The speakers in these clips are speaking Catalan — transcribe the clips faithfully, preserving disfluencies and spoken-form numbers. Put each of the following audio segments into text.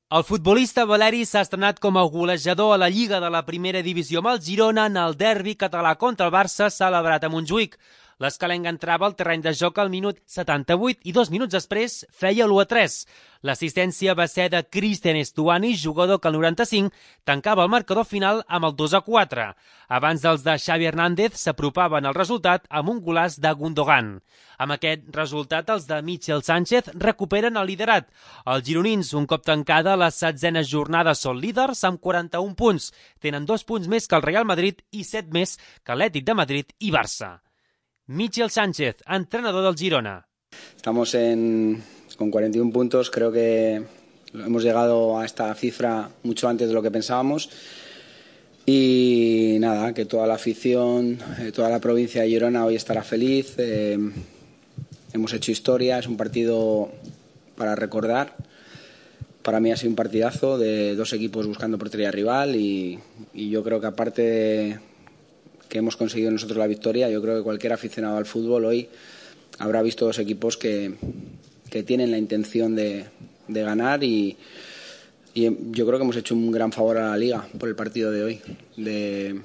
El futbolista Valeri s'ha estrenat com a golejador a la Lliga de la Primera Divisió amb el Girona en el derbi català contra el Barça celebrat a Montjuïc. L'escalenc entrava al terreny de joc al minut setanta-vuit i dos minuts després feia l'u a tres. L'assistència va ser de Cristian Estuani, jugador que al noranta-cinc tancava el marcador final amb el dos a quatre. Abans els de Xavi Hernández s'apropaven al resultat amb un golaç de Gundogan. Amb aquest resultat, els de Michel Sánchez recuperen el liderat. Els gironins, un cop tancada la setzena jornada, són líders amb quaranta-un punts. Tenen dos punts més que el Real Madrid i set més que l'Atlètic de Madrid i Barça. Michel Sánchez, entrenador del Girona. Estamos en, con cuarenta y un puntos, creo que hemos llegado a esta cifra mucho antes de lo que pensábamos y nada, que toda la afición, toda la provincia de Girona hoy estará feliz. Eh, hemos hecho historia, es un partido para recordar. Para mí ha sido un partidazo de dos equipos buscando portería rival y, y yo creo que aparte de que hemos conseguido nosotros la victoria, yo creo que cualquier aficionado al fútbol hoy habrá visto dos equipos que, que tienen la intención de, de ganar y, y yo creo que hemos hecho un gran favor a la Liga por el partido de hoy, de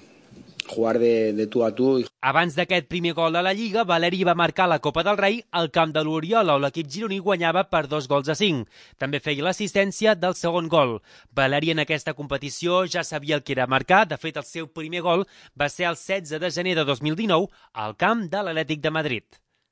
jugar de, de tu a tu. Abans d'aquest primer gol a la Lliga, Valeri va marcar la Copa del Rei al camp de l'Oriola, on l'equip gironí guanyava per dos gols a cinc. També feia l'assistència del segon gol. Valeri en aquesta competició ja sabia el que era marcar. De fet, el seu primer gol va ser el setze de gener de dos mil dinou al camp de l'Atlètic de Madrid.